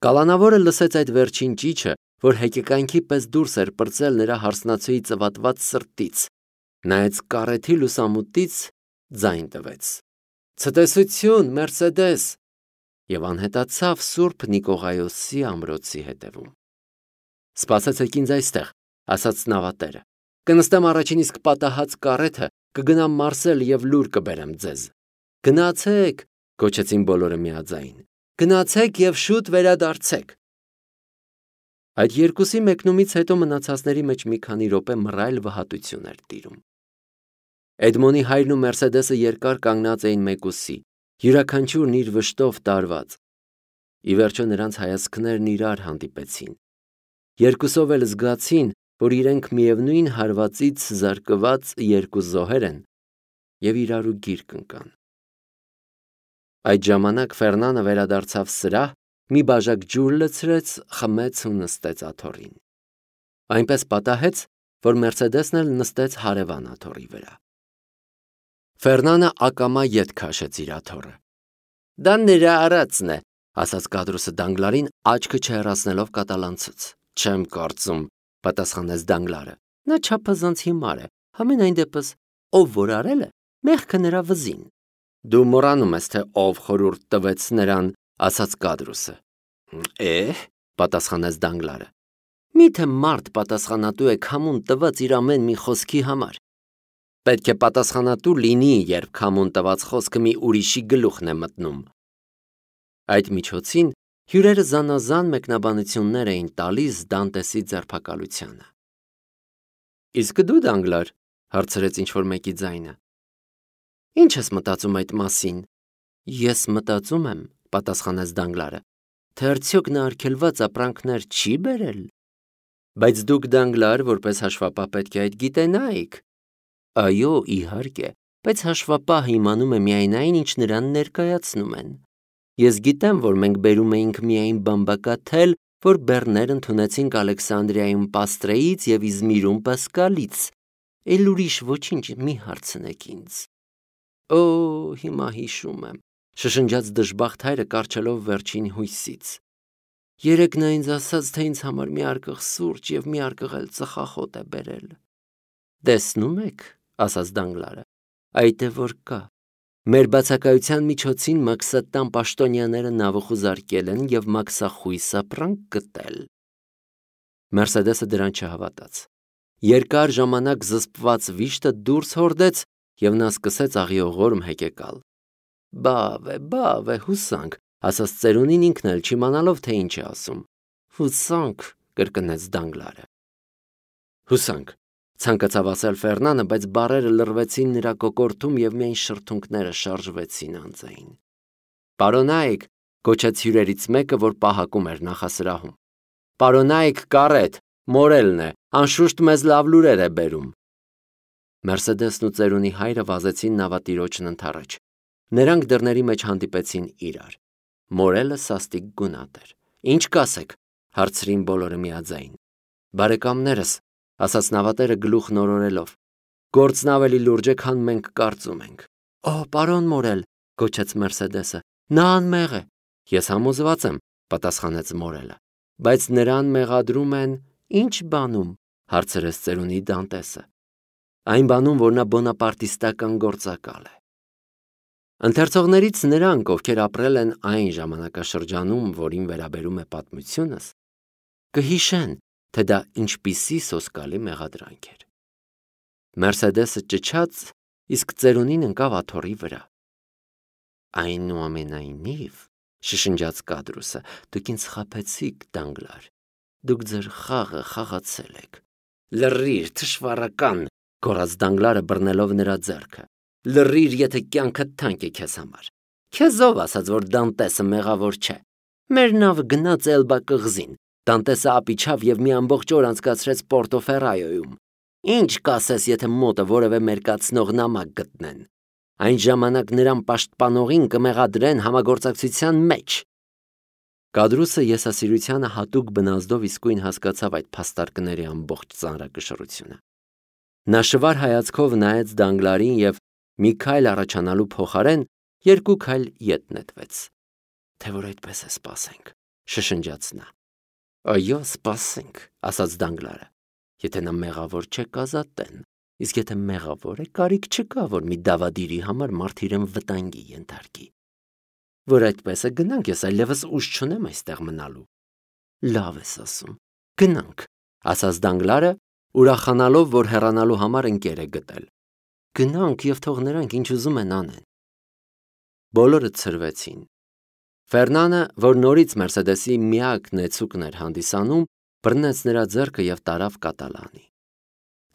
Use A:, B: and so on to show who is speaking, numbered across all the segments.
A: Կալանավորը լսեց այդ վերջին ճիչը, որ հեկեկանքի պես դուրս էր պրծել նրա հարսնացուի ծվատված սրտից, նայեց կարեթի լուսամուտից, ձայն տվեց. «Ցտեսություն, Մերսեդես» և անհետացավ Սուրբ Նիկողայոսի ամրոցի հետևում։ «Սպասեցեք ինձ այստեղ», ասաց նավատերը, «կնստեմ առաջին իսկ պատահած կարեթը, կգնամ Մարսել և լուր կբերեմ ձեզ»։ «Գնացեք», գոչեցին բոլորը միաձայն, «գնացեք և շուտ վերադարձեք»։ Այդ երկուսի մեկնումից հետո մնացածների մեջ մի քանի րոպե մռայլ վհատություն էր տիրում։ Էդմոնի հայրն ու Մերսեդեսը երկար կանգնած էին մեկուսի, յուրաքանչյուրն իր վշտով տարված։ Ի վերջո նրանց հայացքներն իրար հանդիպեցին։ Երկուսով էլ զգացին, որ իրենք միևնույն հարվածից զարկված երկու զոհեր են և իրարու գիրկ ընկան։ Այդ ժամանակ Ֆերնանը վերադարձավ սրահ, մի բաժակ ջուր լցրեց, խմեց ու նստեց աթոռին։ Այնպես պատահեց, որ Մերսեդեսն էլ նստեց հարևան աթոռի վրա։ Ֆերնանը ակամա ետ քաշեց իր աթոռը։ «Դա նրա արածն է», ասաց Կադրուսը Դանգլարին, աչքը չհեռացնելով կատալանցուց։ «Չեմ կարծում», պատասխանեց Դանգլարը։ «Նա չափազանց հիմար է, համենայն դեպս, ով որ արել է, մեղքը նրա վզին»։ «Դու մոռանում ես, թե ով խորհուրդ տվեց նրան», ասաց Կադրուսը։ Պատասխանեց Դանգլարը։ «Միթե մարդ պատասխանատու է քամուն տված իր ամեն մի խոսքի համար։ Պետք է պատասխանատու լինի, երբ քամուն տված խոսքը մի ուրիշի գլուխն է մտնում»։ Այդ միջոցին հյուրերը զանազան մեկնաբանություններ էին տալիս Դանտեսի ձերբակալությանը։ «Իսկ դու, Դանգլար», հարցրեց ինչ-որ մեկի ձայնը, «ինչ ես մտածում այդ մասին»։ «Ես մտածում եմ», պատասխանեց Դանգլարը, «թե արդյոք նա արգելված ապրանքներ չի բերել»։ «Բայց դուք, Դանգլար, որպես հաշվապահ պետք է այդ գիտենայիք»։ «Այո, իհարկե, բայց հաշվապահը իմանում է միայն այն, ինչ նրան ներկայացնում են։ Ես գիտեմ, որ մենք բերում էինք միայն բամբակաթել, որ բեռներ ընդունեցինք Ալեքսանդրիայում Պաստրեից և Իզմիրում Պասկալից։ Էլ ուրիշ ոչինչ մի հարցնեք ինձ»։ «Օ, հիմա հիշում եմ», շշնջաց դժբախտ հայրը կառչելով վերջին հույսից։ «Երեկ նա ինձ ասաց, թե ինձ համար մի արկղ սուրճ և մի արկղ էլ ծխախոտ է բերել»։ «Տեսնում եք», ասաց Դանգլարը, «այդ է որ կա։ Մեր բացակայության միջոցին մաքսատան պաշտոնյաները նավը խուզարկել են և մաքսախույս ապրանք գտել»։ Մերսեդեսը դրան չհավատաց։ Երկար ժամանակ զսպված վիշտը դուրս հորդեց, և նա սկսեց աղիողորմ հեկեկալ։ Բավ է, հուսանք», ասաց ծերունին ինքն էլ չիմանալով, թե ինչ է ասում։ «Հուսանք», կրկնեց Դանգլարը։ «Հուսանք», ցանկացավ ասել Ֆերնանը, բայց բառերը լռվեցին նրա կոկորդում և միայն շրթունքները շարժվեցին անձայն։ «Պարոնայք», գոչեց հյուրերից մեկը, որ պահակում էր նախասրահում։ «Պարոնայք, կարետ, Մորելն է, անշուշտ մեզ լավ լուրեր է բերում»։ Մերսեդեսն ու ծերունի հայրը վազեցին նավատիրոջն ընդառաջ։ Նրանք դռների մեջ հանդիպեցին իրար։ Մորելը սաստիկ գունատ էր։ «Ինչ կասեք», հարցրին բոլորը միաձայն։ «Բարեկամներս», ասաց նավատերը գլուխ նորորելով, «գործն ավելի լուրջ է, քան մենք կարծում ենք»։ «Օ, պարոն Մորել», գոչեց Մերսեդեսը, «նա անմեղ է»։ «Ես համոզված եմ», պատասխանեց Մորելը։ «Բայց նրան մեղադրում են ի՞նչ բանում», հարցրեց ծերունի Դանտեսը։ «Այն բանում, որ նա բոնապարտիստական գործակալ է»։ Ընթերցողներից նրանք, ովքեր ապրել են այն ժամանակաշրջանում, որին վերաբերում է պատմությունս, կհիշեն, թե դա ինչպիսի սոսկալի մեղադրանք էր։ Մերսեդեսը ճչաց, իսկ ծերունին ընկավ աթոռի վրա։ «Այնուամենայնիվ», շշնջաց Կադրուսը, «դուք ինձ խաբեցիք, Դանգլար, դուք ձեր խաղը խաղացել եք»։ «Լռիր, թշվառական», գոռաց Դանգլարը բռնելով նրա ձեռքը։ «Լռիր, եթե կյանքդ թանկ է քեզ համար։ Քեզ ով ասաց, որ Դանտեսը մեղավոր չէ։ Մեր նավը գնաց Էլբա կղզին, Դանտեսը ապիչավ և մի ամբողջ օր անցկացրեց Պորտոֆերայոյում։ Ինչ կասես, եթե մոտը որևէ մերկացնող նամակ գտնեն։ Այն ժամանակ նրան պաշտպանողին կմեղադրեն համագործակցության մեջ»։ Կադրուսը եսասիրությանը հատուկ բնազդով իսկույն հասկացավ այդ փաստարկների ամբողջ ծանրակշռությունը։ Նա շվար հայացքով նայեց Դանգլարին և մի քայլ առաջանալու փոխարեն երկու քայլ ետ նետվեց։ «Թե որ այդպես է, սպասենք», շշնջաց նա։ Այո, սպասենք, ասաց Դանգլարը։ Եթե նա մեղավոր չէ, կազատեն, իսկ եթե մեղավոր է, կարիք չկա, որ մի դավադիրի համար մարդ իրեն վտանգի ենթարկի։ Որ այդպես է, գնանք, ես այլևս ուժ չունեմ այստեղ մնալու։ Լավ ես ասում, գնանք, ասաց Դանգլարը, ուրախանալով, որ հեռանալու համար ընկեր է գտել։ Գնանք և թող նրանք ինչ ուզում են անեն։ Բոլորը ցրվեցին։ Ֆերնանը, որ նորից Մերսեդեսի միակ նեցուկն էր հանդիսանում, բռնեց նրա ձեռքը և տարավ կատալանի։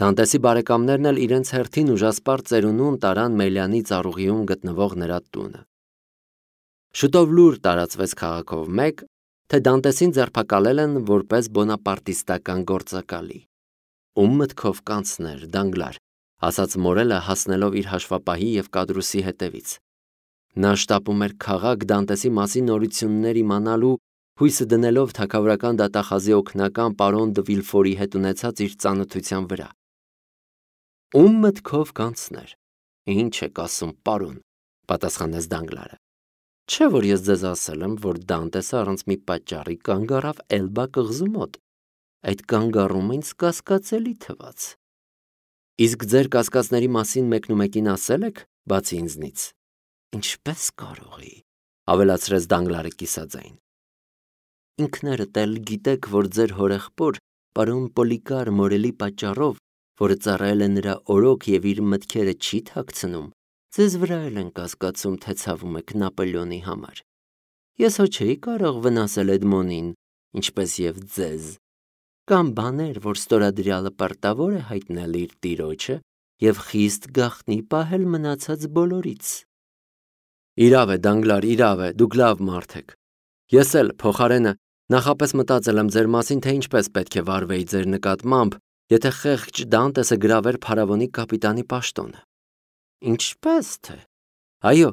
A: Դանտեսի բարեկամներն էլ իրենց հերթին ուժասպառ ծերունուն տարան Մելյանի ծառուղիում գտնվող նրա տունը։ Շուտով լուր տարածվեց քաղաքով մեկ, թե Դանտեսին ձերբակալել են որպես բոնապարտիստական գործակալի։ Ում մտքով կանցներ, Դանգլար, ասաց Մորելը հասնելով իր հաշվապահի և Կադրուսի հետևից։ Նա շտապում էր քաղաք Դանտեսի մասին նորություններ իմանալու, հույսը դնելով թագավորական դատախազի օգնական պարոն դը Վիլֆորի հետ ունեցած իր ծանոթության վրա։ Ում մտքով կանցներ։ Ինչ եք ասում, պարոն, պատասխանեց Դանգլարը։ Չէ՞ որ ես ձեզ ասել եմ, որ Դանտեսը առանց մի պատճառի կանգ առավ Էլբա կղզու մոտ։ Այդ կանգառումը ինձ կասկածելի թվաց։ Իսկ ձեր կասկածների մասին մեկնումեկին ասել եք, բացի ինձնից։ Ինչպես կարող էի, ավելացրեց Դանգլարը կիսաձայն։ Ինքներդ էլ գիտեք, որ ձեր հորեղբոր պարոն Պոլիկար Մորելի պատճառով, որը ծառայել է նրա օրոք և իր մտքերը չի թաքցնում, ձեզ վրա էլ են կասկածում, թե ցավում եք Նապոլեոնի համար։ Ես հո չէի կարող վնասել Էդմոնին, ինչպես և ձեզ։ Կամ բաներ, որ ստորադրյալը պարտավոր է հայտնել իր տիրոջը և խիստ գաղտնի պահել մնացած բոլորից։ Իրավ է, Դանգլար, իրավ է, դուք լավ մարդ եք։ Ես էլ փոխարենը նախապես մտածել եմ ձեր մասին, թե ինչպես պետք է վարվեի ձեր նկատմամբ, եթե խեղճ Դանտեսը գրավեր փարավոնի կապիտանի պաշտոնը։ Ինչպես թե։ Այո,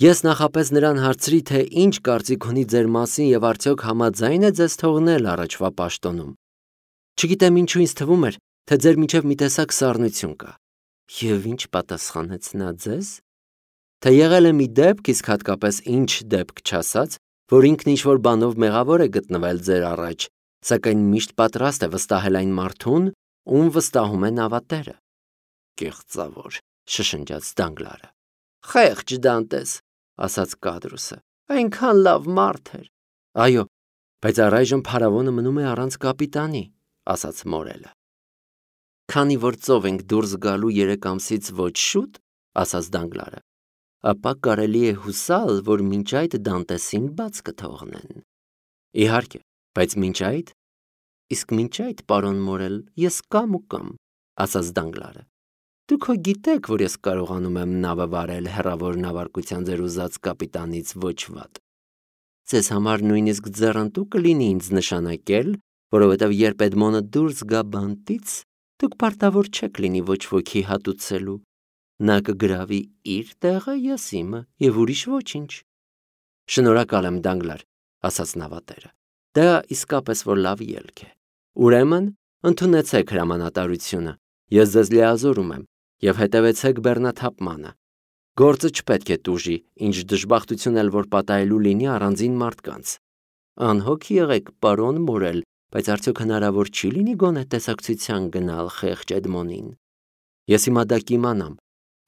A: ես նախապես նրան հարցրի, թե ինչ կարծիք ունի ձեր մասին և արդյոք համաձայն է ձեզ թողնել առաջվա պաշտոնում։ Չգիտեմ ինչու ինձ թվում էր, թե ձեր միջև մի տեսակ սառնություն կա։ Եվ ինչ պատասխանեց նա ձեզ։ Թե եղել է մի դեպք, իսկ հատկապես ինչ դեպք չասած, որ ինքն ինչ-որ բանով մեղավոր է գտնվել ձեր առաջ, սակայն միշտ պատրաստ է վստահել այն մարդուն, ում վստահում է նավատերը։ Կեղծավոր, շշնջաց Դանգլարը։ Խեղճ Դանտես, ասաց Կադրուսը, այնքան լավ մարդ էր։ Այո, բայց առայժմ փարավոնը մնում է առանց կապիտանի, ասաց Մորելը։ Քանի որ ծով ենք դուրս գալու 3 ամսից ոչ շուտ, ասաց Դանգլարը, ապա կարելի է հուսալ, որ մինչ այդ Դանտեսին բաց կթողնեն։ Իհարկե, բայց մինչ այդ, իսկ մինչ այդ, պարոն Մորել, ես կամ ու կամ, ասաց Դանգլարը։ Դուք հո գիտեք, որ ես կարողանում եմ նավը վարել հեռավոր նավարկության ձեր ուզած կապիտանից ոչ վատ։ Ձեզ համար նույնիսկ ձեռնտու կլինի ինձ նշանակել, որովհետև երբ Էդմոնը դուրս գա բանտից, դուք պարտավոր չեք լինի ոչ ոքի հատուցելու։ Նա կգրավի իր տեղը, ես իմը, և ուրիշ ոչինչ։ Շնորհակալ եմ, Դանգլար, ասաց նավատերը։ Դա իսկապես որ լավ ելք է։ Ուրեմն, ընդունեցեք հրամանատարությունը, ես ձեզ լիազորում եմ, և հետևեցեք բեռնաթափմանը։ Գործը չպետք է տուժի, ինչ դժբախտություն էլ որ պատահելու լինի առանձին մարդկանց։ Անհոգ եղեք, պարոն Մորել, բայց արդյոք հնարավոր չի լինի գոնե տեսակցության գնալ խեղճ Էդմոնին։ Ես հիմա դա կիմանամ,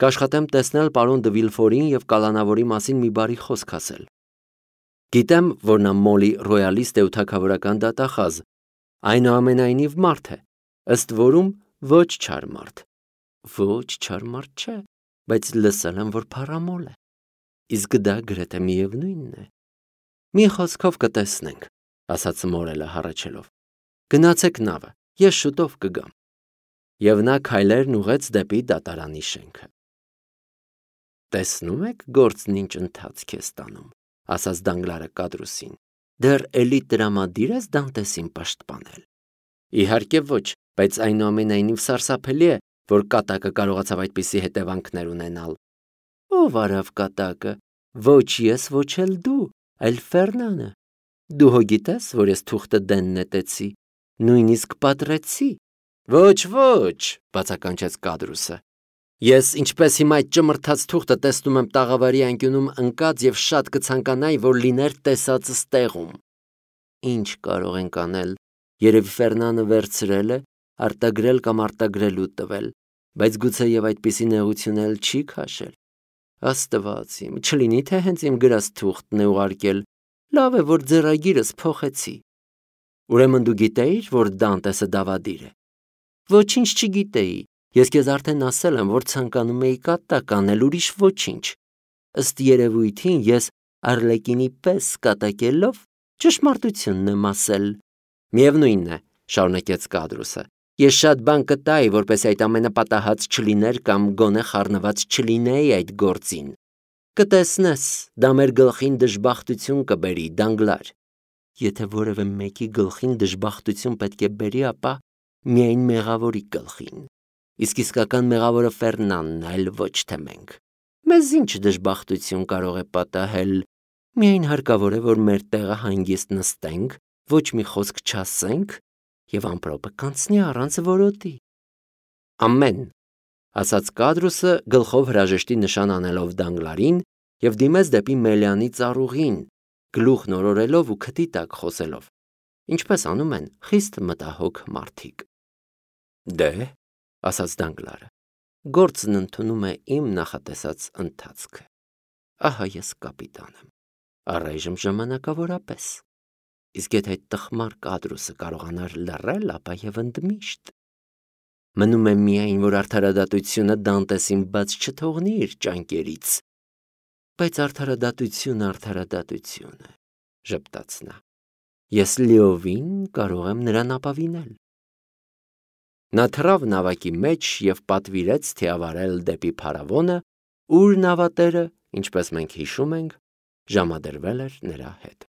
A: կաշխատեմ տեսնել պարոն դը Վիլֆորին և կալանավորի մասին մի բարի խոսք ասել։ Գիտեմ, որ նա մոլի ռոյալիստ է ու թագավորական դատախազ, այնուամենայնիվ մարդ է, ըստ որում ոչ չար մարդ։ Ոչ չար մարդ չէ, բայց լսել եմ, որ փառամոլ է։ Իսկ դա գրեթե միևնույնն է։ Մի խոսքով կտեսնենք, ասաց Մորելը հառաչելով։ Գնացեք նավը, ես շուտով կգամ։ Եվ նա քայլերն ուղղեց դեպի դատարանի շենքը։ Տեսնում եք գործն ինչ ընթացք է ստանում, ասաց Դանգլարը Կադրուսին։ Դեռ էլի տրամադիր ես Դանտեսին պաշտպանել։ Իհարկե ոչ, բայց այնուամենայնիվ սարսափելի է, որ կատակը կարողացավ այդպիսի հետևանքներ ունենալ։ Ով արավ կատակը։ Ոչ ես, ոչ էլ դու, այլ Ֆերնանը։ Դու հո գիտես, որ ես թուղթը դեն նետեցի, նույնիսկ պատռեցի։ Ոչ, բացականչեց Կադրուսը։ Ես ինչպես հիմա այդ ճմրթած թուղթը տեսնում եմ տաղավարի անկյունում ընկած և շատ կցանկանայի, որ լիներ տեսածս տեղում։ ինչ կարող ենք անել։ Երևի Ֆերնանը վերցրել է, արտագրել կամ արտագրելու տվել, բայց գուցեև այդպիսի նեղություն էլ չի քաշել։ Աստված իմ, չլինի թե հենց իմ գրած թուղթն է ուղարկել։ Լավ է, որ ձեռագիրս փոխեցի։ Ուրեմն դու գիտեիր, որ Դանտեսը դավադիր է։ Ոչինչ չգիտեի։ Ես քեզ արդեն ասել եմ, որ ցանկանում էի կատակ անել, ուրիշ ոչինչ։ Ըստ երևույթին ես Արլեկինի պես կատակելով ճշմարտությունն եմ ասել։ Միևնույնն է, շարունակեց Կադրուսը։ Ես շատ բան կտայի, որպես այդ ամենը պատահած չլիներ կամ գոնե խառնված չլինեի այդ գործին։ Կտեսնես, դա մեր գլխին դժբախտություն կբերի, Դանգլար։ Եթե որևէ մեկի գլխին դժբախտություն պետք է բերի, ապա միայն մեղավորի գլխին։ Իսկ իսկական մեղավորը Ֆերնանն է, այլ ոչ թե մենք։ Մեզ ինչ դժբախտություն կարող է պատահել։ Միայն հարկավոր է, որ մեր տեղը հանգիստ նստենք, ոչ մի խոսք չասենք, եւ ամպրոպը կանցնի առանց որոտի։ Ամեն, ասաց Կադրուսը գլխով հրաժեշտի նշան անելով Դանգլարին եւ դիմեց դեպի Մելյանի ծառուղին, գլուխն օրորելով ու քթի տակ խոսելով, ինչպես անում են խիստ մտահոգ մարդիկ։ Դե, ասաց Դանգլարը, գործն ընդունում է իմ նախատեսած ընթացքը։ Ահա ես կապիտան եմ, առայժմ ժամանակավորապես։ Իսկ եթե այդ տխմար Կադրուսը կարողանար լռել, ապա եւ ընդմիշտ։ Մնում է միայն, որ արդարադատությունը Դանտեսին բաց չթողնի իր ճանկերից։ Բայց արդարադատություն է, ժպտաց նա։ Ես լիովին կարող եմ նրան ապավինել։ Նա թռավ նավակի մեջ եւ պատվիրեց թիավարել դեպի փարավոնը, ուր նավատերը, ինչպես մենք հիշում ենք, ժամադրվել էր նրա հետ։